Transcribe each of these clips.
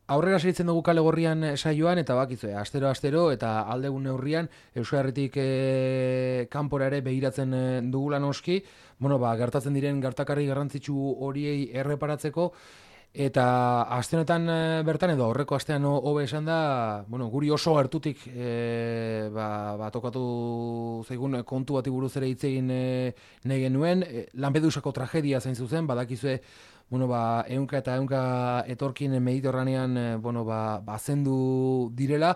Aurrera segitzen dugu Kale Gorrian saioan, eta bakizue, astero eta aldegun neurrian Euskal Herritik kanpora ere begiratzen dugula noski, gertatzen diren gertakarri garrantzitsu horiei erreparatzeko, eta aste honetan bertan edo aurreko astean hobe esan da, guri oso gertutik tokatu zaigun kontu bati buruz ere hitz egin nahi genuen, Lampedusako tragedia zain zuzen, badakizue ehunka eta ehunka etorkin Mediterranean bazendu direla,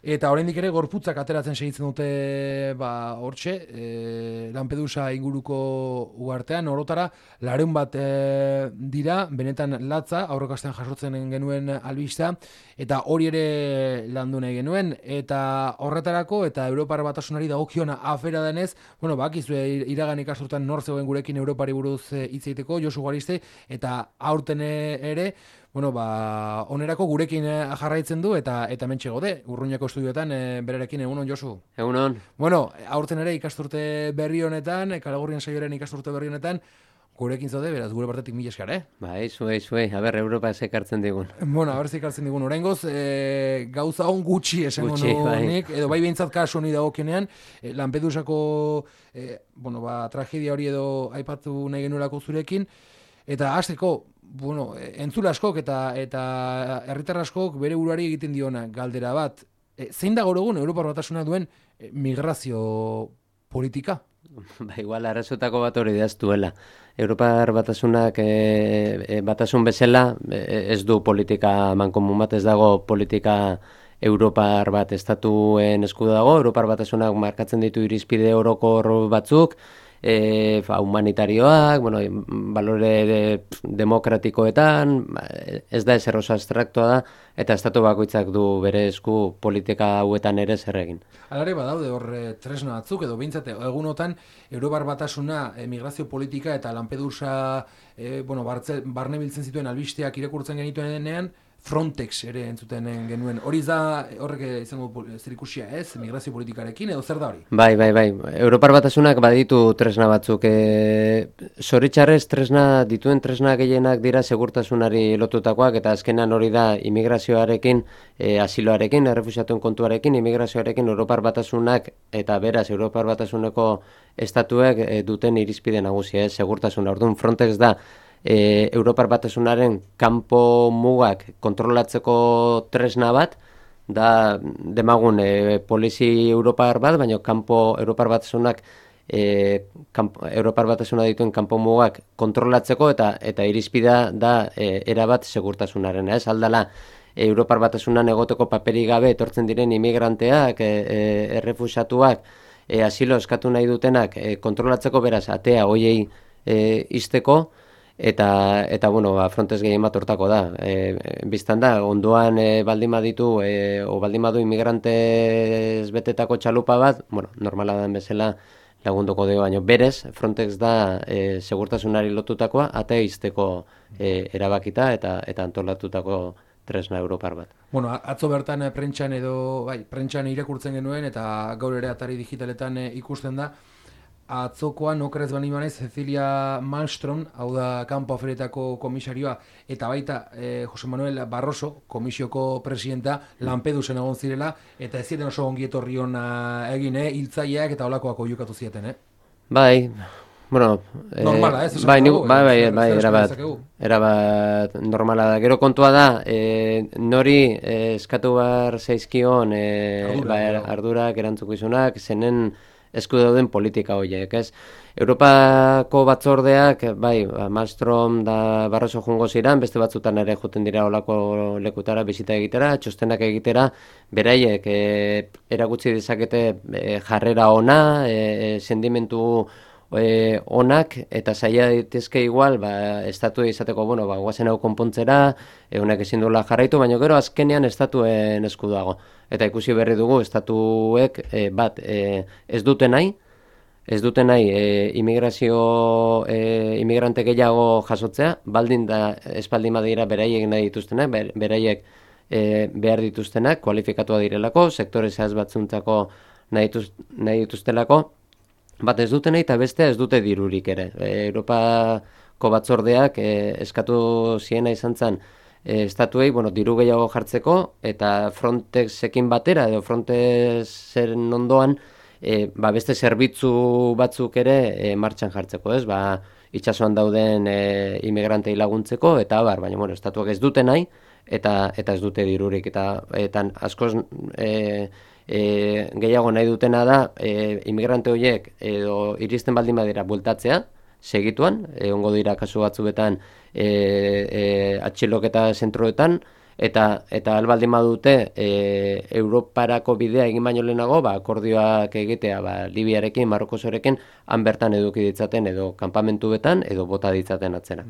eta oraindik ere gorputzak ateratzen segitzen dute hortxe, Lampedusa inguruko uhartean, orotara 200 bat dira, benetan latza, aurreko astean jasotzen genuen albistea, eta hori ere landu nahi genuen, eta horretarako, eta Europar Batasunari dagokiona afera denez, bakizue iragan ikasturtan nor zegoen gurekin Europari buruz hitz egiteko, Josu Gariste, eta aurten ere, onerako gurekin jarraitzen du, eta mentxe gode, Urruñako estudioetan berarekin. Egunon, Josu? Egunon. Aurten ere ikasturte berri honetan, Kale Gorrian saioaren ikasturte berri honetan, gurekin zaude, beraz, gure partetik mila esker, Bai, zuei, aber, Europa ekartzen digun. Aber ekartzen digun, oraingoz, gauza on gutxi esango nik, edo bai behintzat kasu honi dagokionean, Lampedusako tragedia hori edo aipatu nahi genuelako zurekin, eta hasteko, entzule askok eta herritar askok bere buruari egiten diona galdera bat, zein da gaur egun Europar Batasuna duen migrazio politika? Igual arrazotako bat hori daztuela. Europar Batasunak batasun bezala ez du politika mankomun bat, ez dago politika Europar bat estatuen esku dago. Europar Batasunak markatzen ditu irizpide orokor batzuk, humanitarioak, balore demokratikoetan, ez da ezer oso abstraktoa da, eta estatu bakoitzak du bere esku politika hauetan ere zer egin. Alare badaude hor tresna batzuk, edo behintzat egunotan Europar Batasuna migrazio politika eta Lampedusa barne biltzen zituen albisteak irakurtzen genituen denean, Frontex ere entzuten genuen. Hori da horrek izango zerikusia ez, migrazio politikarekin, edo zer da hori? Bai. Europar Batasunak baditu tresna batzuk. Zoritxarrez dituen tresna gehienak dira segurtasunari lotutakoak, eta azkenan hori da immigrazioarekin, asiloarekin, errefuxiatuen kontuarekin, immigrazioarekin Europar Batasunak eta beraz Europar Batasuneko estatuek duten irizpide nagusia, segurtasuna. Orduan Frontex da Europar Batasunaren kanpo mugak kontrolatzeko tresna bat, da demagun polizi Europar bat, baina kanpo Europar Batasunak Europar Batasuna dituen kanpo mugak kontrolatzeko eta irizpidea da erabat segurtasunaren. Ez aldala Europar Batasunan egoteko paperik gabe etortzen diren immigranteak, errefuxiatuak, asilo eskatu nahi dutenak kontrolatzeko, beraz atea hoiei izteko, eta Frontex gehien bat hortako da. Biztan da, ondoan baldin baditu, o baldin badu inmigrantez betetako txalupa bat, normala da bezala lagunduko dio, baina berez, Frontex da segurtasunari lotutakoa, atea izteko erabakita eta antolatutako tresna Europar bat. Atzo bertan prentxan irakurtzen genuen, eta gaur ere atari digitaletan ikusten da, atzokoan okerez bani banez Cecilia Malmström, hau da kanpo aferetako komisarioa, eta baita Jose Manuel Barroso, komisioko presidenta, Lampedusen egon zirela, eta ez ziren oso ongi etorri ona egin, hiltzaileak eta holakoak oiukatu zieten, Bai, normala, ez? Bai, erabat normala da. Gero kontua da, nori eskatu behar zaizkion ardurak, erantzukizunak, zenen esku dauden politika horiek, ez? Europako batzordeak, Malmström da Barroso jungo ziren, beste batzutan ere juten dira olako lekutara, bisita egitera, txostenak egitera, beraiek erakutsi dezakete jarrera ona, sentimentu onak, eta zaila ditezke igual, estatu izateko, guazen hau konpontzera, honek ezin duela jarraitu, baina gero azkenean estatuen esku dago. Eta ikusi berri dugu, estatuek ez dute nahi imigrante gehiago jasotzea, baldin da espaldin badira beraiek nahi dituztenak, beraiek behar dituztenak, kualifikatua direlako, sektore zehaz batzuntzako nahi dituztelako, bat ez dute nahi eta beste ez dute dirurik ere. Europako batzordeak eskatu ziena izan zen estatuei, diru gehiago jartzeko, eta Frontexekin batera, edo Frontexen ondoan, beste zerbitzu batzuk ere martxan jartzeko, ez? Itsasoan dauden inmigrantei laguntzeko, eta baina, estatuak ez dute nahi, eta ez dute dirurik, eta askoz gehiago nahi dutena da, inmigrante horiek edo iristen baldin badira bueltatzea, segituan, egongo dira kasu batzuetan atxiloketa zentroetan, eta albaldin badute Europarako bidea egin baino lehenago, akordioak egitea Libiarekin, Marokosorekin, han bertan eduki ditzaten edo kanpamentuetan edo bota ditzaten atzera.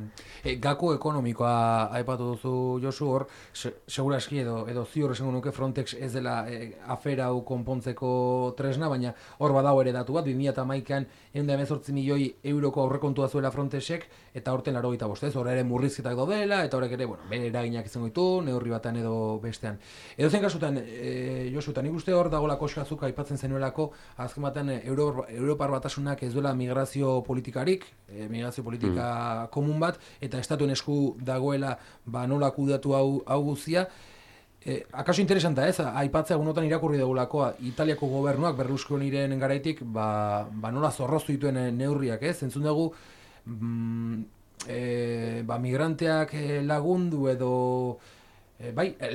Gako ekonomikoa aipatu duzu, Josu, hor, seguraski edo ziur esango nuke Frontex ez dela afera hau konpontzeko tresna, baina hor badago ere datu bat, 2011an 118 milioi euroko aurrekontua zuela Frontexek, eta horten 85, ez? Hor ere murrizketak daudela, eta horrek ere, bere eraginak izango ditu, neurri batean edo bestean. Edo zen kasutan, Josu, eta nik uste hor dagoela koskazuk aipatzen zenuelako, azken batean Europar Batasunak ez duela migrazio politikarik, migrazio politika komun bat, eta estatuen esku dagoela nola kudatu hau guztia. Akaso interesanta ez, aipatzea egunotan irakurri dugulako Italiako gobernuak Berlusconiren garaitik nola zorroztu dituen neurriak, ez? Entzun dugu migranteak lagundu edo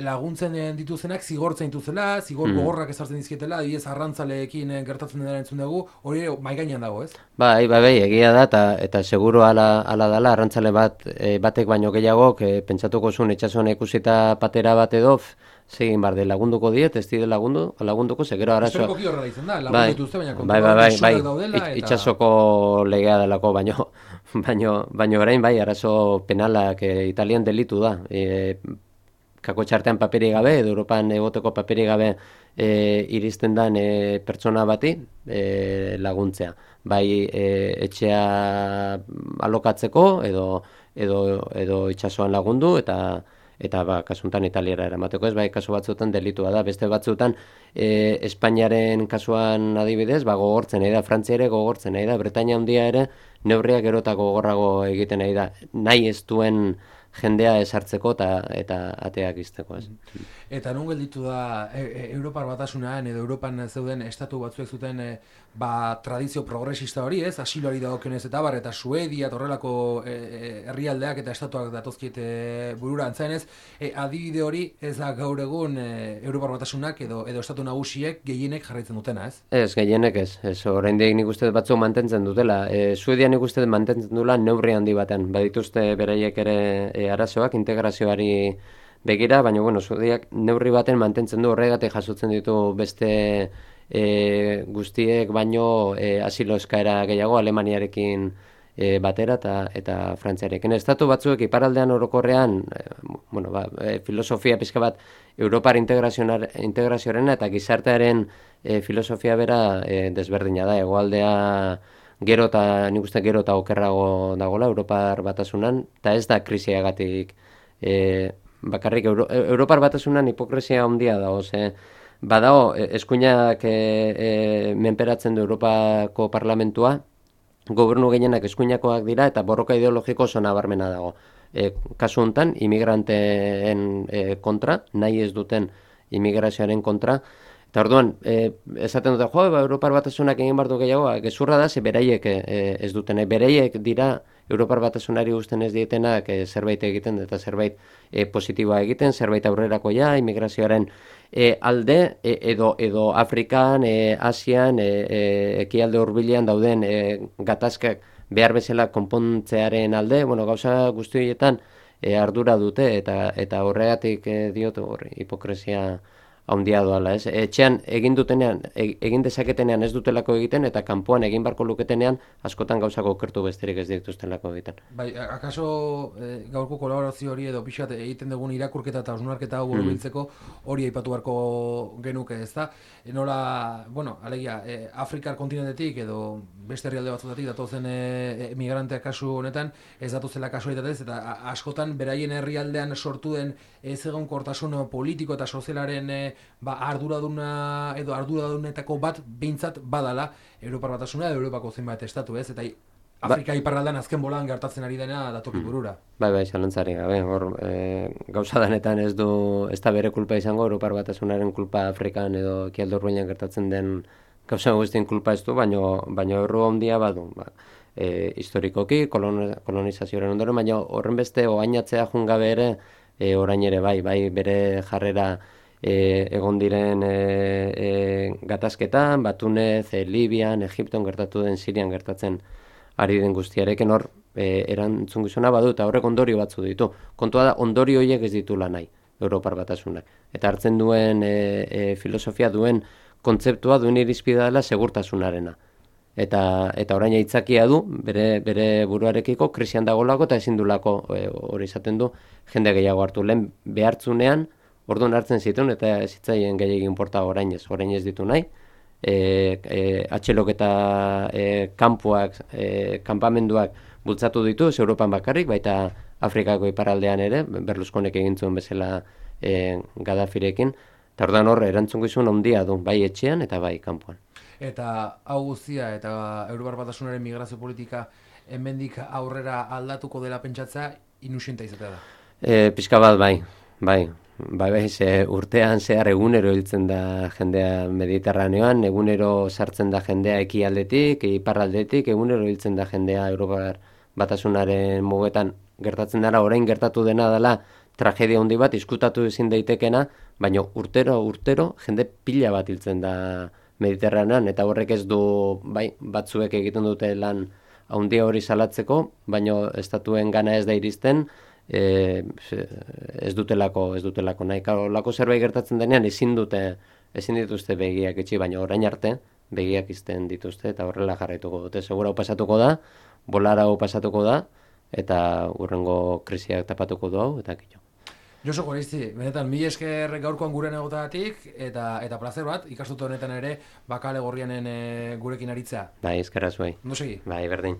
laguntzen dituzenak zigortzen dituzela, zigor gogorrak ezartzen dizkietela, adibidez arrantzaleekin gertatzen dela entzun dugu, hori mahai gainean dago, ez? Bai, egia da, eta seguru ala dela, arrantzale batek baino gehiagok, pentsatuko zuen itxasuan ikusita patera bat edo, zegin barde, lagunduko diet, ez dide lagunduko, segero arazoa. Historikoki horrela izan da, lagundu dituzte, baina kontrolak daudela. Itxasoko legea delako, baino orain arazo penalak Italian delitu da. Kako txartean paperi gabe, edo Europan egoteko paperi gabe iristen dan pertsona bati laguntzea. Etxea alokatzeko edo itxasoan lagundu eta kasuntan Italiara eramateko, ez kasu batzuetan delitua da. Beste batzuetan Espainiaren kasuan adibidez, gogortzen nahi da, Frantzia ere gogortzen nahi da, Bretainia handia ere neurriak erotako gogorrago egiten nahi da. Nahi ez duen jendea esartzeko eta ateak izteko, ez. Eta non gelditu da Europar Batasunean edo Europan zeuden estatu batzuek zuten tradizio progresista hori, ez? Asiloari dagokionez eta Suedia eta horrelako herrialdeak eta estatuak datozkiete burura antzaenez, adibide hori ez da gaur egun Europar Batasunak edo estatu nagusiek gehienek jarraitzen dutena, ez? Ez, gehienek ez. Oraindik nik uste batzuk mantentzen dutela. Suedia nik uste mantentzen dula neurri handi batean. Badituzte beraiek ere arazoak integrazioari begira, baina Suediak neurri baten mantentzen du, horregatik jasotzen ditu beste guztiek baino asilo eskaera gehiago Alemaniarekin batera eta Frantziarekin. Estatu batzuek iparaldean orokorrean filosofia pizka bat Europar integrazioarena eta gizartearen filosofia bera desberdina da. Hegoaldea nik uste gero eta okerrago dagoela Europar Batasunan, eta ez da krisiagatik bakarrik Europar Batasunan hipokresia handia dago, badago eskuinak menperatzen du Europako Parlamentua, gobernu gehienak eskuinakoak dira eta borroka ideologiko oso nabarmena dago. Kasu honetan, imigranteen kontra, nahi ez duten imigrazioaren kontra, eta orduan, esaten dute, Europar Batasunak egin bardu gehiago, gezurra da, beraiek ez duten, beraiek dira Europar Batasunari guzten ez dietenak zerbait egiten, eta zerbait positiboa egiten, zerbait aurrerakoia, imigrazioaren alde, edo Afrikan, Asian, ekialde hurbilean dauden gatazkak behar bezala konpontzearen alde, gauza guzti horietan ardura dute, eta horregatik diot hipokresia handia doala, ez? Etxean egin dutenean, egin dezaketenean ez dutelako egiten, eta kanpoan egin barko luketenean askotan gauzako okertu besterik ez dituztelako egiten. Akaso gaurko kolaborazio hori edo pixat egiten dugun irakurketa eta osnarketa hau borobiltzeko hori aipatu beharko genuke, ez da? Nola, alegia, Afrikar kontinentetik edo beste herrialde batzutatik datozen migranteak kasu honetan ez datuzela kasualitatez, eta askotan beraien herrialdean sortu den ez egonkortasun politiko eta sozialaren arduraduna edo arduradunetako bat behintzat badala Europar Batasuna edo Europako zenbait estatu, ez? Eta Afrika iparraldean azken bolan gertatzen ari dena datoki burura. Bai, zalantzari gabe. Hor, gauza danetan ez da bere kulpa izango, Europar Batasunaren kulpa Afrikan edo Ekialde Hurbilean gertatzen den gauza guztien kulpa ez du, baina erru handia badu. Historikoki, kolonizazioaren ondoren, baina horren beste oainatzea jungabe ere, orain ere bai bere jarrera egon diren gatazketan, Tunez, Libian, Egipton gertatu den, Sirian gertatzen ari den guztiarekin hor erantzungizuna badu eta horrek ondorio batzu ditu. Kontua da, ondorio horiek ez ditula nahi, Europar Batasunak. Eta hartzen duen filosofia duen kontzeptua duen irizpidea dela segurtasunarena. Eta orain aitzakia du, bere buruarekiko krisian dagolako eta ezin dulako hori izaten du jende gehiago hartu. Lehen behartzunean, orduan hartzen zituen eta ez zitzaien gehiagin porta orain ez ditu nahi. Atxelok eta kanpuak, kanpamenduak bultzatu ditu, Europan bakarrik, baita Afrikako iparaldean ere, Berlusconek egin zuen bezala Gaddafirekin, eta orduan hor erantzungizun handia du, bai etxean eta bai kanpoan. Eta hau guztia eta Europar Batasunaren migrazio politika hemendik aurrera aldatuko dela pentsatzea inusienta izatea da. Pixka bat bai, urtean zehar egunero hiltzen da jendea Mediterraneoan, egunero sartzen da jendea ekialdetik, iparraldetik, egunero hiltzen da jendea Europar Batasunaren mugetan gertatzen dara, orain gertatu dena dela tragedia handi bat, izkutatu ezin daitekena, baina urtero jende pila bat hiltzen da Mediterranean, eta horrek ez du, batzuek egiten dute lan handia hori salatzeko, baina estatuen gana ez da iristen, ez dutelako nahi. Lako zerbait gertatzen denean ezin dituzte begiak itxi, baina orain arte begiak izten dituzte eta horrela jarraituko dute. Segura hau pasatuko da, bolara hau pasatuko da eta hurrengo krisiak tapatuko du hau eta kitxo. Josu Gorizti, benetan, mila esker gaurkoan guren egotagatik eta plazer bat, ikastute honetan ere, bakale gorrianen gurekin aritzea. Bai, eskerra zuei. Ondo segi? Bai, berdin.